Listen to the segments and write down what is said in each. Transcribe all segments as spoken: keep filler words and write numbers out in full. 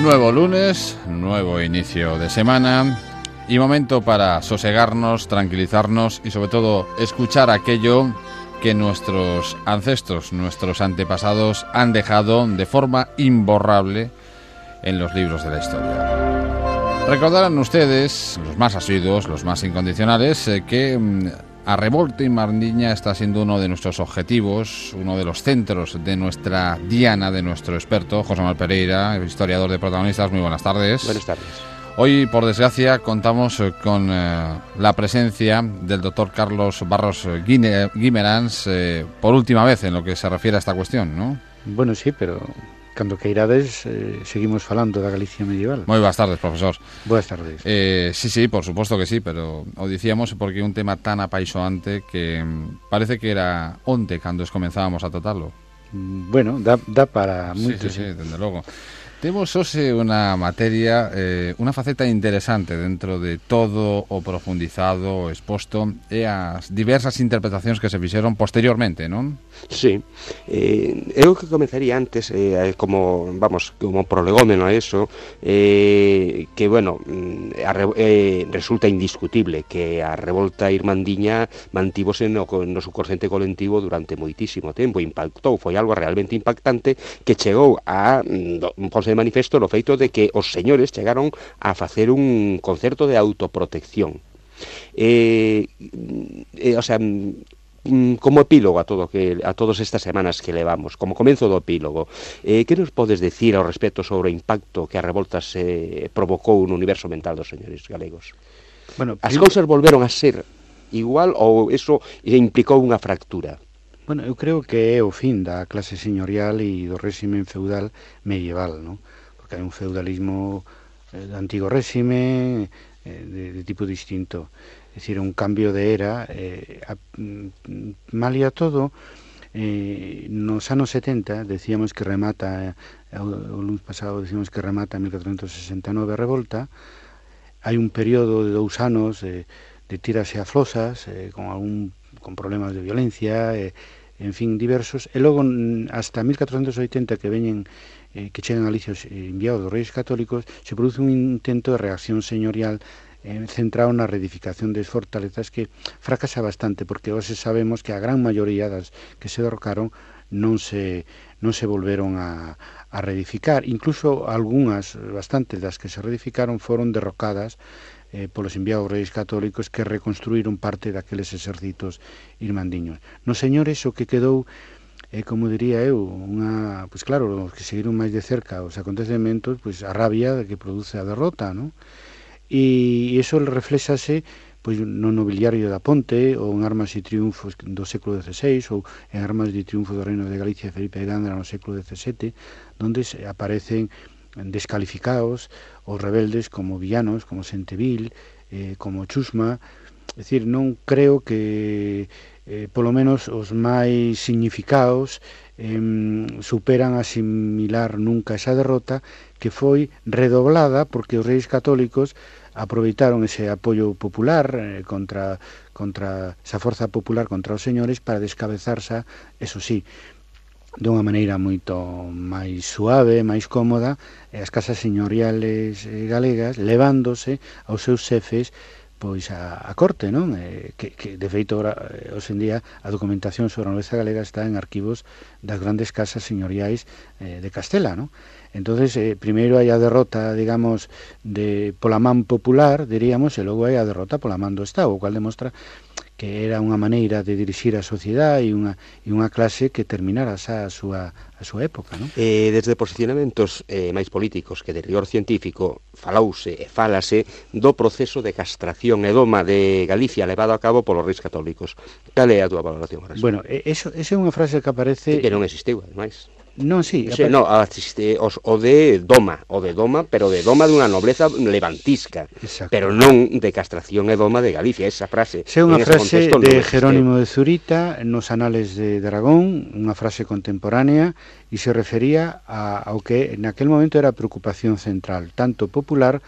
Nuevo lunes, nuevo inicio de semana y momento para sosegarnos, tranquilizarnos y sobre todo escuchar aquello que nuestros ancestros, nuestros antepasados han dejado de forma imborrable en los libros de la historia. Recordarán ustedes, los más asiduos, los más incondicionales, eh, que mmm, Arrebolta y Mardiña está siendo uno de nuestros objetivos, uno de los centros de nuestra diana, de nuestro experto, José Manuel Pereira, historiador de protagonistas. Muy buenas tardes. Buenas tardes. Hoy, por desgracia, contamos con eh, la presencia del doctor Carlos Barros Guimerans, eh, por última vez en lo que se refiere a esta cuestión, ¿no? Bueno, sí, pero cando queirades eh, seguimos falando da Galicia medieval. Moi boas tardes, profesor. Boas tardes. Eh, sí, sí, por suposto que sí, pero o dicíamos porque é un tema tan apaixoante que mm, parece que era onte cando comenzábamos a tratarlo. Bueno, dá, dá para moito. Sí, sí, sí, dende logo. Temos hoxe unha materia, eh, unha faceta interesante dentro de todo o profundizado, o exposto e as diversas interpretacións que se fixeron posteriormente, non? Sí, eh, eu que comenzaría antes, eh, como, vamos, como prolegómeno a eso, eh, que, bueno, a, eh, resulta indiscutible que a revolta irmandiña mantívose no, no subconsciente colectivo durante moitísimo tempo, impactou, foi algo realmente impactante que chegou a un ponse de manifesto no feito de que os señores chegaron a facer un concerto de autoprotección. Eh, eh, o sea, como epílogo a todo que a todas estas semanas que levamos, como comenzo do epílogo, eh, que nos podes decir ao respecto sobre o impacto que a revolta se provocou no universo mental dos señores galegos? Bueno, as cousas volveron a ser igual ou eso implicou unha fractura? Bueno, eu creo que é o fin da clase señorial e do réximen feudal medieval, non? Porque hai un feudalismo eh, do antigo réxime eh, de, de tipo distinto. É dicir, un cambio de era, eh, a, malia todo, eh, nos anos setenta decíamos que remata, eh, o lunes pasado decíamos que remata en mil catrocentos sesenta e nove a revolta, hai un período de dous anos de, de tiras e aflosas, eh, con algún con problemas de violencia, eh, en fin, diversos, e logo hasta mil catrocentos oitenta que veñen eh, que chegan a Galicia enviados dos Reis Católicos, se produce un intento de reacción señorial eh, centrado na reedificación das fortalezas que fracasa bastante, porque hoxe sabemos que a gran maioría das que se derrocaron non se non se volveron a, a reedificar, incluso algunhas, bastantes das que se reedificaron foron derrocadas eh, polos enviados reis católicos que reconstruíron parte daqueles exércitos irmandiños. Nos señores o que quedou, eh, como diría eu, unha, pois claro, os que seguiron máis de cerca os acontecementos, pois a rabia que produce a derrota, non? E iso reflexase pois no nobiliario da Ponte, ou en armas e triunfos do século dezseis, ou en armas de triunfo do reino de Galicia de Felipe de Gándara no século dezasete, donde aparecen descalificados os rebeldes como villanos, como Senteville, eh, como Chusma. É dicir, non creo que eh, polo menos os máis significados eh, superan asimilar nunca esa derrota, que foi redoblada porque os reis católicos aproveitaron ese apoio popular eh, contra, contra esa forza popular contra os señores para descabezarse, eso sí, dunha maneira moito máis suave, máis cómoda, e as casas señoriales galegas levándose aos seus xefes pois a, a corte, non? Eh, que, que de feito hoxe en día a documentación sobre a nobreza galega está en arquivos das grandes casas señoriais eh, de Castela, non? Entonces, eh, primeiro hai a derrota, digamos, de pola man popular, diríamos, e logo hai a derrota pola man do Estado, o cual demostra que era unha maneira de dirixir a sociedade e unha, e unha clase que terminara xa a súa, a súa época, non? Eh, desde posicionamentos eh, máis políticos que de rigor científico falouse e fálase do proceso de castración e doma de Galicia levado a cabo polos reis católicos. Cal é a túa valoración? Bueno, eso, esa é unha frase que aparece... Que non existiu, ademais. Non, sí, o sea, no, asiste, os, o de doma, o de doma, pero de doma dunha nobleza levantisca. Exacto. Pero non de castración e doma de Galicia, esa frase. É unha frase de Jerónimo de Zurita nos Anales de Aragón, unha frase contemporánea, e se refería a, ao que naquel momento era a preocupación central, tanto popular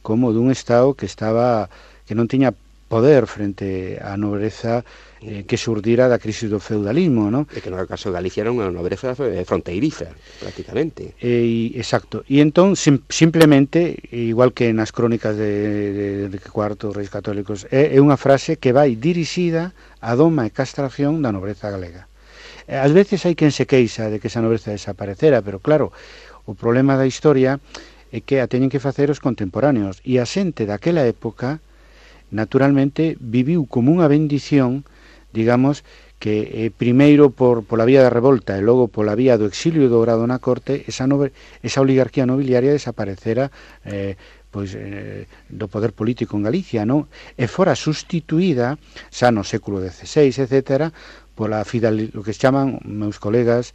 como dun Estado que estaba que non tiña poder frente á nobreza eh, que xurdira da crise do feudalismo, non? E que no caso de Galicia era unha nobreza fronteiriza, prácticamente. E, exacto. E entón, sim, simplemente, igual que nas crónicas de, de Enrique cuarto, Reis Católicos, é, é unha frase que vai dirixida á doma e castración da nobreza galega. Ás veces hai quen se queixa de que esa nobreza desaparecera, pero claro, o problema da historia é que a teñen que facer os contemporáneos, e a xente daquela época naturalmente viviu como unha bendición, digamos, que eh, primeiro por pola vía da revolta e logo pola vía do exilio dourado na corte, esa, nobe, esa oligarquía nobiliaria desaparecera eh, pois, eh, do poder político en Galicia, non? E fora sustituída, xa no século dezasseis, etcétera, pola fidel, lo que se chaman meus colegas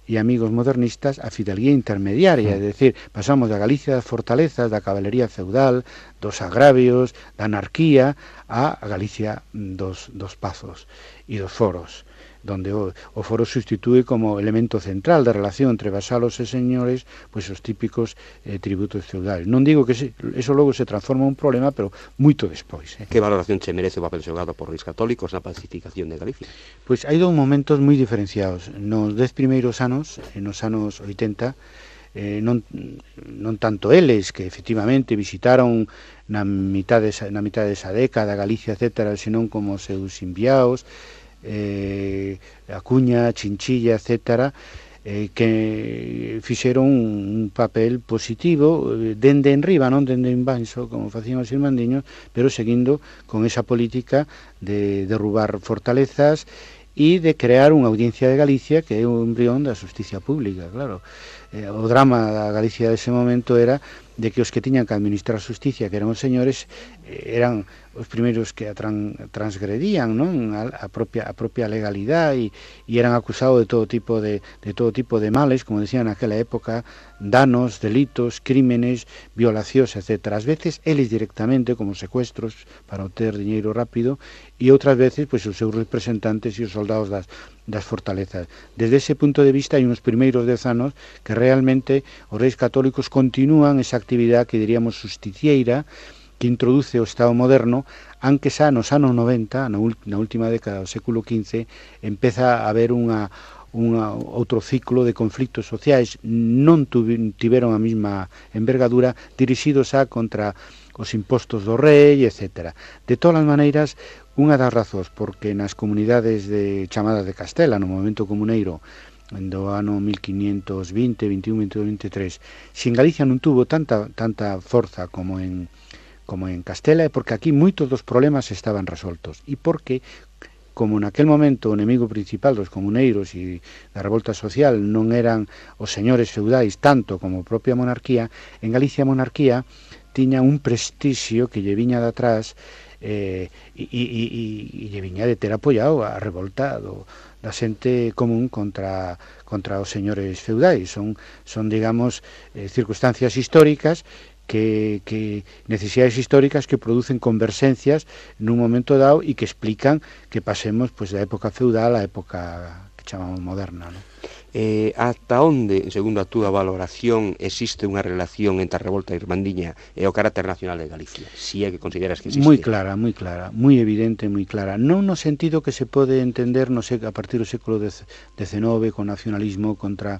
e amigos modernistas a fidelguía intermediaria, é dicir, pasamos da Galicia das fortalezas, da cabalería feudal, dos agravios, da anarquía, a Galicia dos, dos pazos e dos foros, donde o, o foro sustitue como elemento central da relación entre vasalos e señores, pois os típicos eh, tributos feudais. Non digo que se, eso logo se transforma en un problema, pero moito despois. Eh. Que valoración che merece o papel xogado por Reis Católicos na pacificación de Galicia? Pois hai dous momentos moi diferenciados. Nos dez primeiros anos, nos anos oitenta, eh, non, non tanto eles, que efectivamente visitaron na mitad desa, na mitad desa década Galicia, etcétera, senón como seus enviados, eh, Acuña, Chinchilla, etcétera, eh, que fixeron un papel positivo eh, dende en riba, non dende en baixo, como facían os irmandiños, pero seguindo con esa política de derrubar fortalezas e de crear unha audiencia de Galicia que é o embrión da justicia pública, claro. Eh, o drama da Galicia dese momento era de que os que tiñan que administrar a justicia, que eran os señores, eh, eran os primeiros que a tran, transgredían, non? A, a propia a propia legalidade e, e eran acusados de todo tipo de de todo tipo de males, como decían naquela época, danos, delitos, crímenes, violacións, etcétera. Ás veces eles directamente como secuestros para obter diñeiro rápido e outras veces pois os seus representantes e os soldados das das fortalezas. Desde ese punto de vista hai uns primeiros dez anos que realmente os reis católicos continúan esa actividade que diríamos justicieira, que introduce o Estado moderno, aunque xa nos anos noventa, na, na última década do século quince, empeza a haber unha, unha, outro ciclo de conflictos sociais, non tiveron a mesma envergadura, dirixidos a contra os impostos do rei, etcétera. De todas as maneiras, unha das razóns porque nas comunidades de chamadas de Castela, no momento comuneiro, do ano mil quinientos vinte, vinte e un, vinte e dos, vinte e tres, se en Galicia non tuvo tanta, tanta forza como en, como en Castela, é porque aquí moitos dos problemas estaban resoltos, e porque, como naquel momento o enemigo principal dos comuneiros e da revolta social non eran os señores feudais tanto como a propia monarquía, en Galicia a monarquía tiña un prestixio que lle viña de atrás eh, e, e, e, e lle viña de ter apoiado a revolta do, da xente común contra, contra os señores feudais. Son, son digamos, eh, circunstancias históricas que, que necesidades históricas que producen converxencias nun momento dado e que explican que pasemos pois, da época feudal á época que chamamos moderna, non? Eh, ata onde, segundo a túa valoración, existe unha relación entre a revolta irmandiña e o carácter nacional de Galicia? Si é que consideras que existe. Moi clara, moi clara, moi evidente, moi clara. Non no sentido que se pode entender no sé, a partir do século dezenove con nacionalismo contra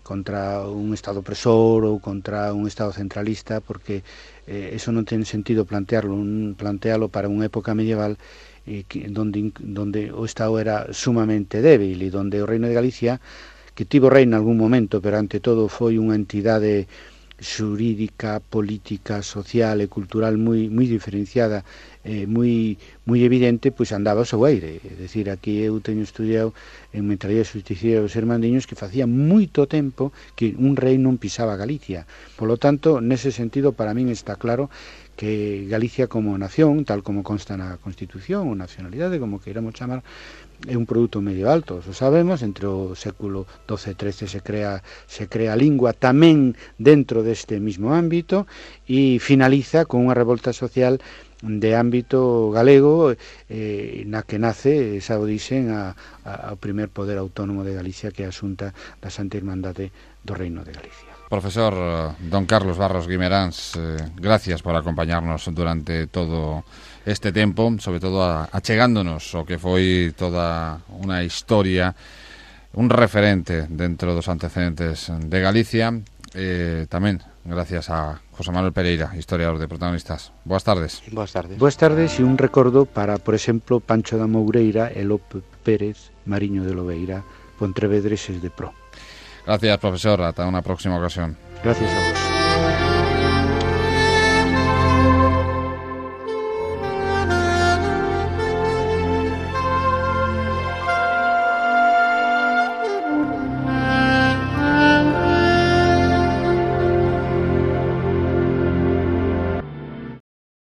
contra un Estado opresor ou contra un Estado centralista, porque eh, eso non ten sentido plantearlo, un, plantealo para unha época medieval eh, que, donde, donde o Estado era sumamente débil e donde o Reino de Galicia, que tivo rei en algún momento, pero ante todo foi unha entidade xurídica, política, social e cultural moi moi diferenciada, eh, moi moi evidente, pois andaba ao seu aire. É dicir, aquí eu teño estudiado en Mentalidade Justiciera dos Irmandiños que facía moito tempo que un rei non pisaba Galicia. Polo tanto, nese sentido, para min está claro que Galicia como nación, tal como consta na Constitución, ou nacionalidade, como queiramos chamar, é un produto medieval, todos o sabemos. Entre o século doce e trece se crea, se crea a lingua tamén dentro deste mismo ámbito e finaliza con unha revolta social de ámbito galego eh, na que nace, xa o dixen, a, a, ao primer poder autónomo de Galicia, que é a Xunta da Santa Irmandade do Reino de Galicia. Profesor don Carlos Barros Guimeráns, eh, gracias por acompañarnos durante todo este tempo, sobre todo a, achegándonos o que foi toda unha historia, un referente dentro dos antecedentes de Galicia. Eh, tamén gracias a José Manuel Pereira, historiador de Protagonistas. Boas tardes. Boas tardes. Boas tardes e un recordo para, por exemplo, Pancho da Moureira e Lope Pérez, Mariño de Lobeira, Pontrevedreses de Pro. Gracias, profesor. Hasta una próxima ocasión. Gracias a vos.